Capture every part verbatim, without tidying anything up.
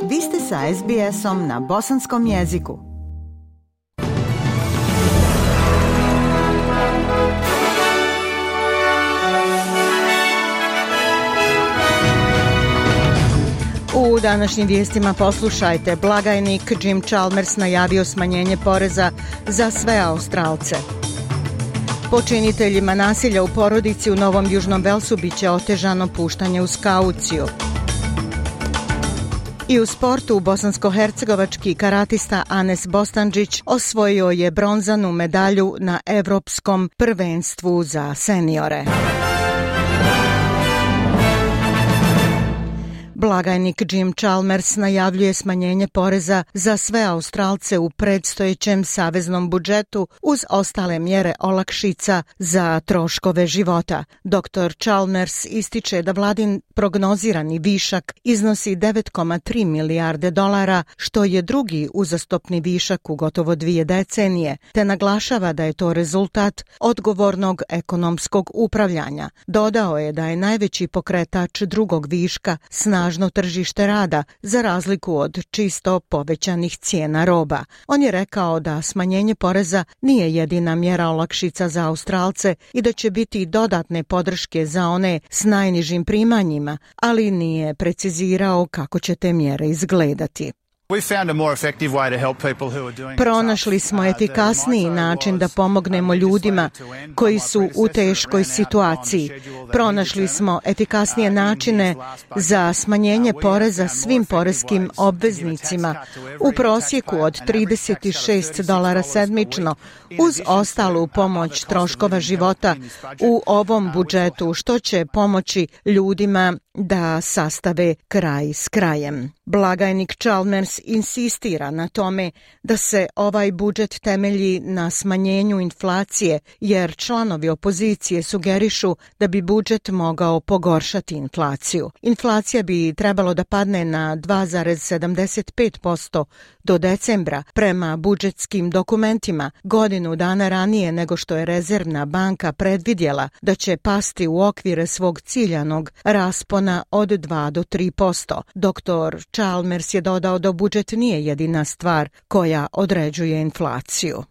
Vi ste sa es bi esom na bosanskom jeziku. U današnjim vijestima poslušajte, blagajnik Jim Chalmers najavio smanjenje poreza za sve Australce. Počiniteljima nasilja u porodici u Novom Južnom Velsu biće otežano puštanje uz kauciju. I u sportu bosansko-hercegovački karatista Anes Bostandžić osvojio je bronzanu medalju na Evropskom prvenstvu za seniore. Blagajnik Jim Chalmers najavljuje smanjenje poreza za sve Australce u predstojećem saveznom budžetu uz ostale mjere olakšica za troškove života. doktor Chalmers ističe da vladin prognozirani višak iznosi devet zarez tri milijarde dolara, što je drugi uzastopni višak u gotovo dvije decenije, te naglašava da je to rezultat odgovornog ekonomskog upravljanja. Dodao je da je najveći pokretač drugog viška snažno tržište rada, za razliku od čisto povećanih cijena roba. On je rekao da smanjenje poreza nije jedina mjera olakšica za Australce i da će biti dodatne podrške za one s najnižim primanjima, ali nije precizirao kako će te mjere izgledati. Pronašli smo efikasniji način da pomognemo ljudima koji su u teškoj situaciji. Pronašli smo efikasnije načine za smanjenje poreza svim poreskim obveznicima u prosjeku od trideset šest dolara sedmično uz ostalu pomoć troškova života u ovom budžetu, što će pomoći ljudima da sastave kraj s krajem. Blagajnik Chalmers insistira na tome da se ovaj budžet temelji na smanjenju inflacije, jer članovi opozicije sugerišu da bi budžet mogao pogoršati inflaciju. Inflacija bi trebalo da padne na dva zarez sedamdeset pet posto do decembra prema budžetskim dokumentima, godinu dana ranije nego što je Rezervna banka predvidjela da će pasti u okvire svog ciljanog raspona od dva do tri posto. doktor Chalmers je dodao da budžet nije jedina stvar koja određuje inflaciju.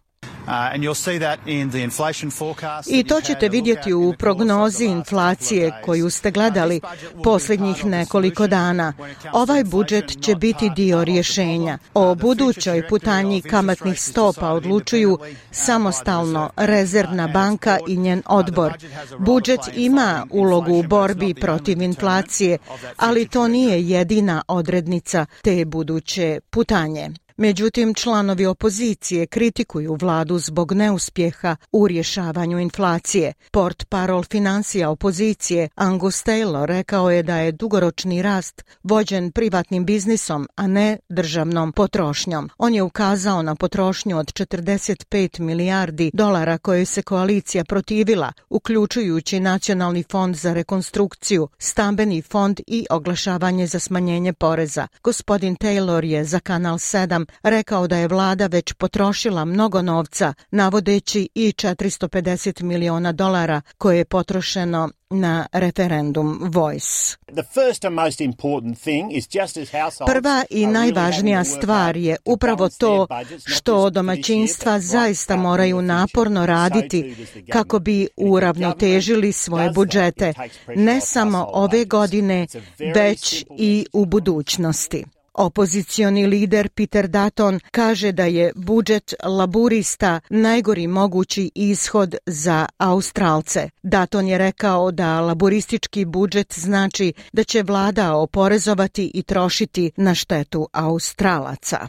I to ćete vidjeti u prognozi inflacije koju ste gledali posljednjih nekoliko dana. Ovaj budžet će biti dio rješenja. O budućoj putanji kamatnih stopa odlučuju samostalno Rezervna banka i njen odbor. Budžet ima ulogu u borbi protiv inflacije, ali to nije jedina odrednica te buduće putanje. Međutim, članovi opozicije kritikuju vladu zbog neuspjeha u rješavanju inflacije. Portparol financija opozicije Angus Taylor rekao je da je dugoročni rast vođen privatnim biznisom, a ne državnom potrošnjom. On je ukazao na potrošnju od četrdeset pet milijardi dolara koje se koalicija protivila, uključujući Nacionalni fond za rekonstrukciju, stambeni fond i oglašavanje za smanjenje poreza. Gospodin Taylor je za Kanal sedam rekao da je vlada već potrošila mnogo novca, navodeći i četiristo pedeset miliona dolara koje je potrošeno na referendum Voice. Prva i najvažnija stvar je upravo to što domaćinstva zaista moraju naporno raditi kako bi uravnotežili svoje budžete, ne samo ove godine, već i u budućnosti. Opozicioni lider Peter Dutton kaže da je budžet laburista najgori mogući ishod za Australce. Dutton je rekao da laburistički budžet znači da će vlada oporezovati i trošiti na štetu Australaca.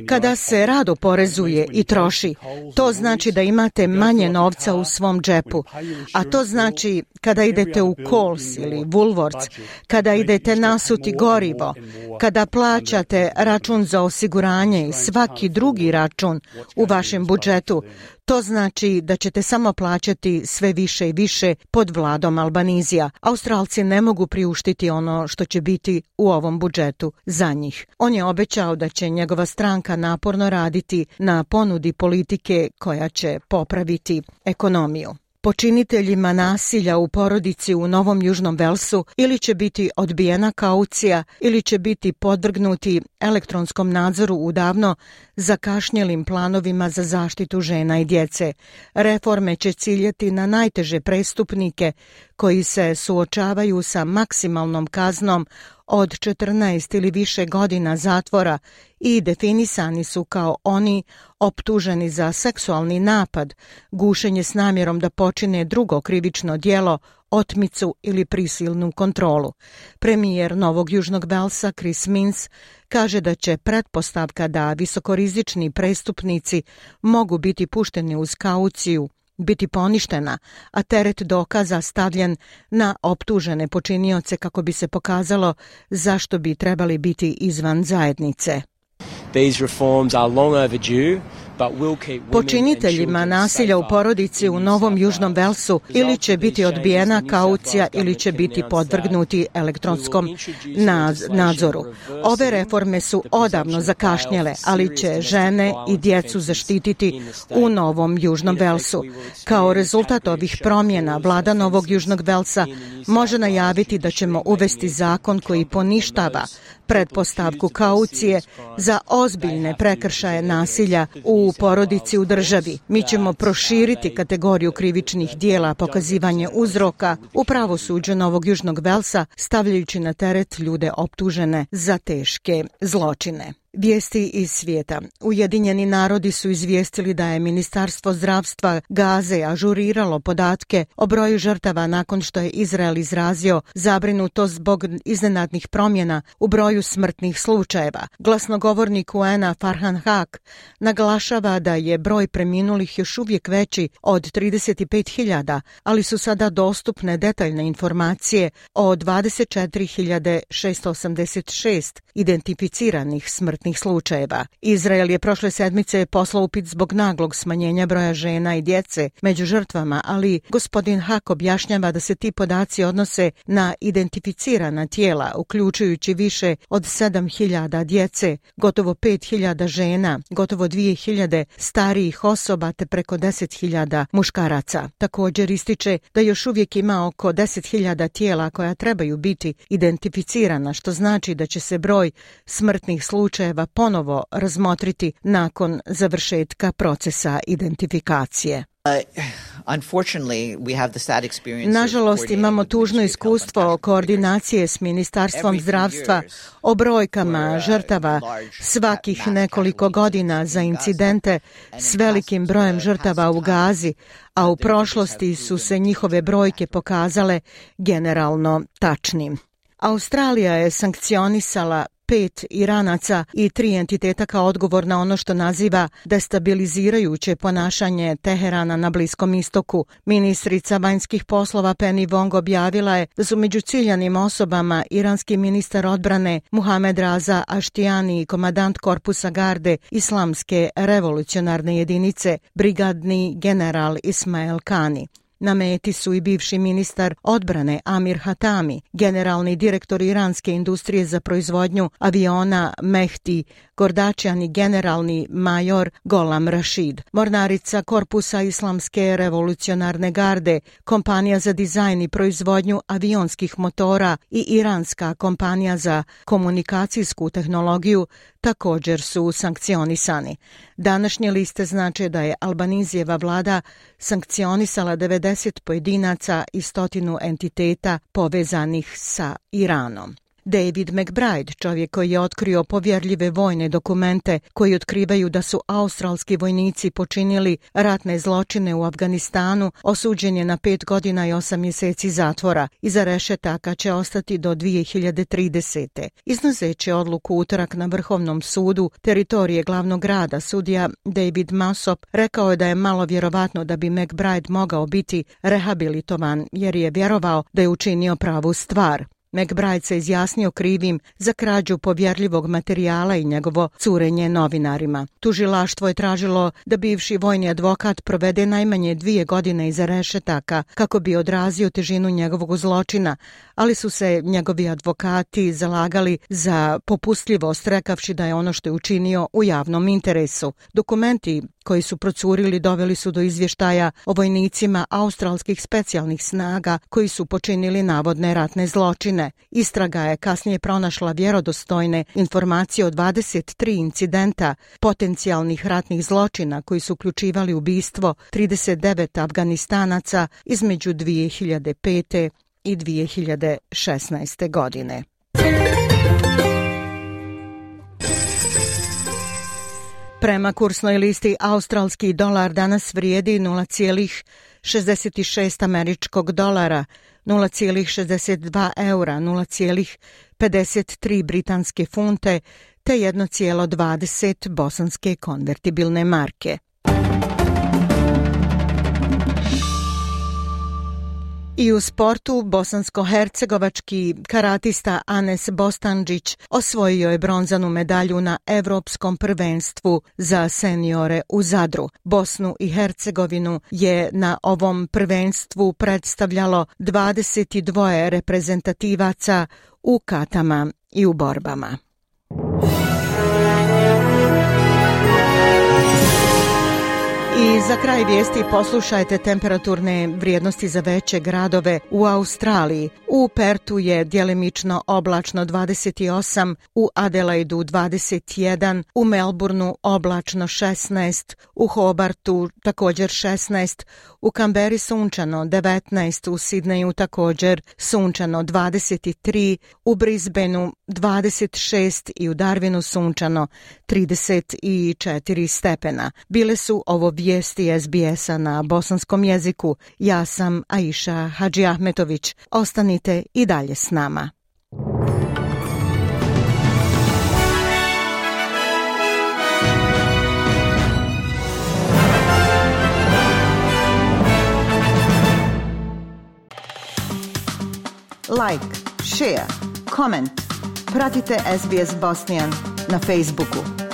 Kada se rado porezuje i troši, to znači da imate manje novca u svom džepu, a to znači kada idete u Coles ili Woolworths, kada idete nasuti gorivo, kada plaćate račun za osiguranje i svaki drugi račun u vašem budžetu, to znači da ćete samo plaćati sve više i više pod vladom Albanizija. Australci ne mogu priuštiti ono što će biti u ovom budžetu za njih. On je obećao da će njegova stranka naporno raditi na ponudi politike koja će popraviti ekonomiju. počiniteljima nasilja u porodici u Novom Južnom Velsu ili će biti odbijena kaucija ili će biti podvrgnuti elektronskom nadzoru u davno zakašnjelim planovima za zaštitu žena i djece. Reforme će ciljati na najteže prestupnike koji se suočavaju sa maksimalnom kaznom od četrnaest ili više godina zatvora i definisani su kao oni optuženi za seksualni napad, gušenje s namjerom da počine drugo krivično djelo, otmicu ili prisilnu kontrolu. Premijer Novog Južnog Velsa Chris Minns kaže da će pretpostavka da visokorizični prestupnici mogu biti pušteni uz kauciju biti poništena, a teret dokaza stavljen na optužene počinioce kako bi se pokazalo zašto bi trebali biti izvan zajednice. These reforms are long overdue. Počiniteljima nasilja u porodici u Novom Južnom Velsu ili će biti odbijena kaucija ili će biti podvrgnuti elektronskom nadzoru. Ove reforme su odavno zakašnjele, ali će žene i djecu zaštititi u Novom Južnom Velsu. Kao rezultat ovih promjena, vlada Novog Južnog Velsa može najaviti da ćemo uvesti zakon koji poništava pretpostavku kaucije za ozbiljne prekršaje nasilja u porodici u državi. Mi ćemo proširiti kategoriju krivičnih dijela pokazivanje uzroka u pravosuđu Novog Južnog Velsa, stavljajući na teret ljude optužene za teške zločine. Vijesti iz svijeta. Ujedinjeni narodi su izvijestili da je Ministarstvo zdravstva Gaze ažuriralo podatke o broju žrtava nakon što je Izrael izrazio zabrinutost zbog iznenadnih promjena u broju smrtnih slučajeva. Glasnogovornik U N-a Farhan Haq naglašava da je broj preminulih još uvijek veći od trideset pet hiljada, ali su sada dostupne detaljne informacije o dvadeset četiri hiljade šesto osamdeset šest identificiranih smrtnih slučajeva. Izrael je prošle sedmice poslao upit zbog naglog smanjenja broja žena i djece među žrtvama, ali gospodin Hak objašnjava da se ti podaci odnose na identificirana tijela, uključujući više od sedam hiljada djece, gotovo pet hiljada žena, gotovo dvije hiljade starijih osoba te preko deset hiljada muškaraca. Također ističe da još uvijek ima oko deset hiljada tijela koja trebaju biti identificirana, što znači da će se broj smrtnih slučajeva ponovo razmotriti nakon završetka procesa identifikacije. Nažalost, imamo tužno iskustvo koordinacije s Ministarstvom zdravstva o brojkama žrtava svakih nekoliko godina za incidente s velikim brojem žrtava u Gazi, a u prošlosti su se njihove brojke pokazale generalno tačnim. Australija je sankcionisala pet Iranaca i tri entiteta kao odgovor na ono što naziva destabilizirajuće ponašanje Teherana na Bliskom istoku. Ministrica vanjskih poslova Penny Wong objavila je da su među ciljanim osobama iranski ministar odbrane Muhamed Raza Aštijani i komandant korpusa garde Islamske revolucionarne jedinice brigadni general Ismail Kani. Na meti su i bivši ministar odbrane Amir Hatami, generalni direktor iranske industrije za proizvodnju aviona Mehdi Gordačian i generalni major Golam Rashid. Mornarica korpusa Islamske revolucionarne garde, kompanija za dizajn i proizvodnju avionskih motora i iranska kompanija za komunikacijsku tehnologiju također su sankcionisani. Današnje liste znače da je Albanizijeva vlada sankcionisala devedeset pojedinaca i stotinu entiteta povezanih sa Iranom. David McBride, čovjek koji je otkrio povjerljive vojne dokumente koji otkrivaju da su australski vojnici počinili ratne zločine u Afganistanu, osuđen je na pet godina i osam mjeseci zatvora. Iza rešetaka će ostati do dvije hiljade tridesete. Iznoseći odluku utorak na Vrhovnom sudu teritorije glavnog grada, sudija David Massop rekao je da je malo vjerovatno da bi McBride mogao biti rehabilitovan jer je vjerovao da je učinio pravu stvar. McBride se izjasnio krivim za krađu povjerljivog materijala i njegovo curenje novinarima. Tužilaštvo je tražilo da bivši vojni advokat provede najmanje dvije godine iza rešetaka kako bi odrazio težinu njegovog zločina, ali su se njegovi advokati zalagali za popustljivost, rekavši da je ono što je učinio u javnom interesu. Dokumenti koji su procurili doveli su do izvještaja o vojnicima australskih specijalnih snaga koji su počinili navodne ratne zločine. Istraga je kasnije pronašla vjerodostojne informacije o dvadeset tri incidenta potencijalnih ratnih zločina koji su uključivali ubistvo trideset devet Afganistanaca između dvije hiljade pete i dvije hiljade šesnaeste. godine. Prema kursnoj listi australski dolar danas vrijedi nula zarez šezdeset šest američkog dolara, nula zarez šezdeset dva eura, nula zarez pedeset tri britanske funte te jedna zarez dvadeset bosanske konvertibilne marke. I u sportu bosansko-hercegovački karatista Anes Bostandžić osvojio je bronzanu medalju na Evropskom prvenstvu za seniore u Zadru. Bosnu i Hercegovinu je na ovom prvenstvu predstavljalo dvadeset dva reprezentativaca u katama i u borbama. I za kraj vijesti poslušajte temperaturne vrijednosti za veće gradove u Australiji. U Pertu je djelimično oblačno dvadeset osam, u Adelaidu dvadeset jedan, u Melbourneu oblačno šesnaest, u Hobartu također šesnaest, u Kamberi sunčano devetnaest, u Sidneju također sunčano dvadeset tri, u Brisbaneu dvadeset šest i u Darwinu sunčano trideset četiri stepena. Bile su ovo vijesti es be es-a na bosanskom jeziku. Ja sam Aisha Hadžiahmetović. Ostanite i dalje s nama. Like, share, comment. Pratite es be es Bosnian na Facebooku.